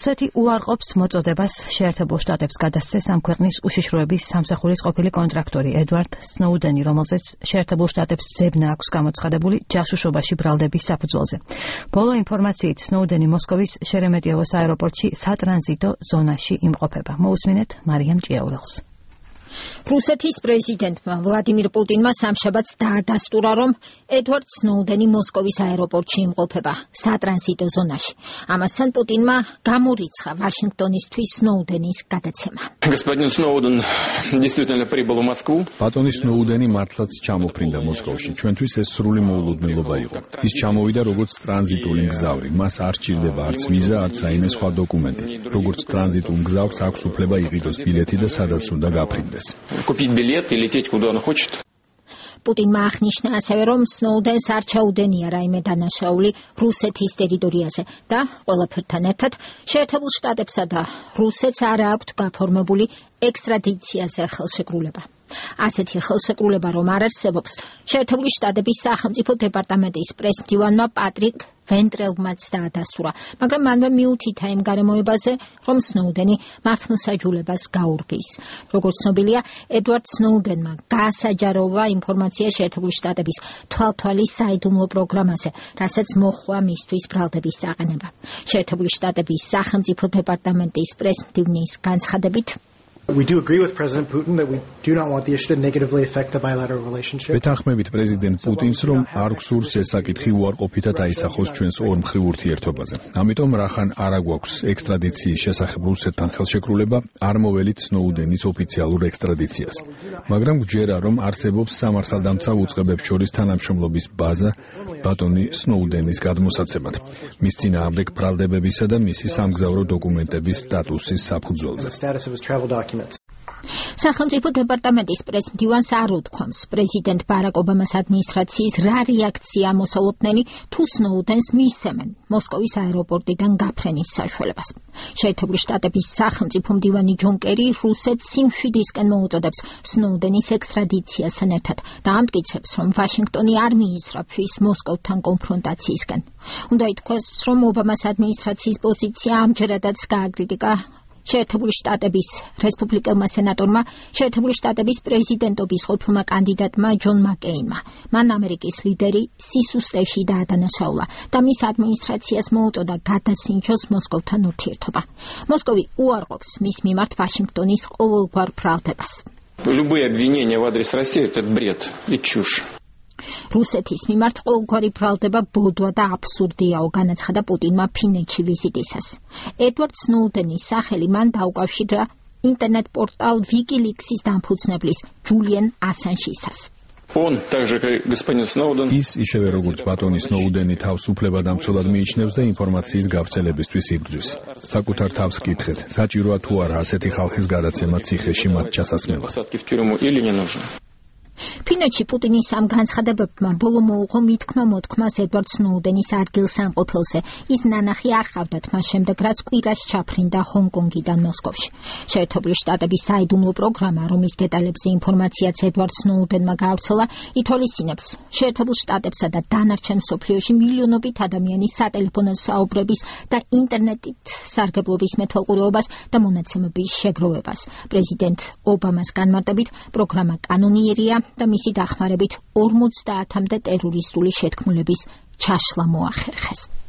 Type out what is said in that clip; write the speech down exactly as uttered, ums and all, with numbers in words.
რუსეთი უარყოფს მოწოდებას შეერთებულ შტატებს გადასცეს ამ ქვეყნის უშიშროების სამსახურის ყოფილი კონტრაქტორი ედვარდ სნოუდენი, რომელზეც შეერთებულ შტატებს ძებნა აქვს გამოცხადებული ჯაშუშობაში ბრალდების საფუძველზე. ბოლო ინფორმაციით სნოუდენი მოსკოვის შერემეტიევოს აეროპორტში სატრანზიტო ზონაში იმყოფება. მოусმინეთ მარიამ ჭიაურელს. რუსეთის პრეზიდენტმა ვლადიმირ პუტინმა სამშაბათს დაადასტურა, რომ ედვარდ სნოუდენი მოსკოვის აეროპორტში იმყოფება, სატრანზიტო ზონაში. ამასთან პუტინმა გამორიცხა ვაშინგტონისთვის სნოუდენის გადაცემა. Господин Сноуден действительно прибыл в Москву. ბატონი სნოუდენი მართლაც ჩამოფრინდა მოსკოვში. ჩვენთვის ეს სრული მოულოდნელობა იყო. ის ჩამოვიდა როგორც ტრანზიტული მგზავრი. მას არ სჭირდება არც ვიზა, არც რაიმე სხვა დოკუმენტი. როგორც ტრანზიტულ მგზავრს აქვს უფლება იყიდოს ბილეთი და სადაც უნდა გაფრინდეს. Купить билет и лететь куда он хочет. პუტინმა აღნიშნა ასევე, რომ სნოუდენს არ ჩაუდენია რაიმე დანაშაული რუსეთის ტერიტორიაზე და ყველაფერთან ერთად შეერთებულ შტატებსა და რუსეთს არ აქვთ გაფორმებული ექსტრადიციაზე ხელშეკრულება. ასეთი ხელშეკრულება რომ არ არსებობს, შეერთებული შტატების სახელმწიფო დეპარტამენტის პრესმდივანმა პატრიკ ვენტრელმაც დაადასტურა, მაგრამ მანვე მიუთითა იმ გარემოებაზე, რომ სნოუდენი მართლმსაჯულებას გაურბის. როგორც ცნობილია, ედვარდ სნოუდენმა გაასაჯაროვა ინფორმაცია შეერთებული შტატების თვალთვალის საიდუმლო პროგრამაზე, რასაც მოჰყვა მისთვის ბრალდების წაყენება. შეერთებული შტატების სახელმწიფო დეპარტამენტის პრესმდივნის განცხადებით, We do agree with President Putin that we do not want the issue to negatively affect the bilateral relationship. ვეთანხმებით პრეზიდენტ პუტინს, რომ არ გსურს ეს საკითხი უარყოფითად აისახოს ჩვენს ორმხრივ ურთიერთობაზე. ამიტომ რახან არ აგვაქვს ექსტრადიციის შესახებ რუსეთთან ხელშეკრულება, არ მოველით სნოუდენის ოფიციალურ ექსტრადიციას. მაგრამ გვჯერა, რომ არსებობს სამართალდამცავ უწყებებს შორის თანამშრომლობის ბაზა ბატონი სნოუდენის გადმოსაცემად, მის წინააღმდეგ ბრალდებებისა და მისი სამგზავრო დოკუმენტების სტატუსის საფუძველზე. სახელმწიფო დეპარტამენტის პრესმდივანს არ უთქვამს პრეზიდენტ ბარაკ ობამას ადმინისტრაციის რა რეაქცია მოსალოდნელი თუ სნოუდენს მისცემენ მოსკოვის აეროპორტიდან გაფრენის საშუალებას. შეერთებული შტატების სახელმწიფო მდივანი ჯონ კერი რუსეთს სიმშვიდისკენ მოუწოდებს სნოუდენის ექსტრადიციასთან ერთად და ამტკიცებს, რომ ვაშინგტონი არ მიისწრაფვის მოსკოვთან კონფრონტაციისკენ. უნდა ითქვას, რომ ობამას ადმინისტრაციის პოზიცია ამჯერადაც გააკრიტიკა შეერთებული შტატების რესპუბლიკელმა სენატორმა, შეერთებული შტატების პრეზიდენტობის ყოფილმა კანდიდატმა ჯონ მაკეინმა. მან ამერიკის ლიდერი სისუსტეში დაადანაშაულა და მის ადმინისტრაციას მოუწოდა გადასინჯოს მოსკოვთან ურთიერთობა. მოსკოვი უარყოფს მის მიმართ ვაშინგტონის ყოველგვარ ბრალდებას. Любые обвинения в адрес России это бред и чушь. რუსეთის მიმართ ყოველგვარი ბრალდება ბოდვა და აბსურდიაო, განაცხადა პუტინმა ფინეთში ვიზიტისას. ედვარდ სნოუდენის სახელი მან დაუკავშირა ინტერნეტ პორტალ ვიკილიქსის დამფუძნებლის ჯულიენ ასანჟისას. Он также как господин Сноуден ის ისევე როგორც ბატონი სნოუდენი თავს უფლებადამცველად მიიჩნევს და ინფორმაციის გავრცელებისთვის იბრძვის. საკუთარ თავს კითხეთ, საჭიროა თუ არა ასეთი ხალხის გადაცემა ციხეში მათ ჩასასმელად. ფინეთში პუტინის ამ განცხადებებმა ბოლო მოუღო მითქმა მოთქმას ედვარდ სნოუდენის ადგილსამყოფელზე. ის ნანახი არ ჰყავდათ მას შემდეგ, რაც კვირას ჩაფრინდა ჰონკონგიდან მოსკოვში. შეერთებული შტატების საიდუმლო პროგრამა, რომლის დეტალებზე ინფორმაციაც ედვარდ სნოუდენმა გაავრცელა, ითვალისწინებს შეერთებულ შტატებსა და დანარჩენ მსოფლიოში მილიონობით ადამიანის სატელეფონო საუბრების და ინტერნეტით სარგებლობის მეთვალყურეობას და მონაცემების შეგროვებას. პრეზიდენტ ობამას განმარტებით, პროგრამა კანონიერია და მისი დახმარებით ორმოცდაათამდე ტერორისტული შეთქმულების ჩაშლა მოახერხეს.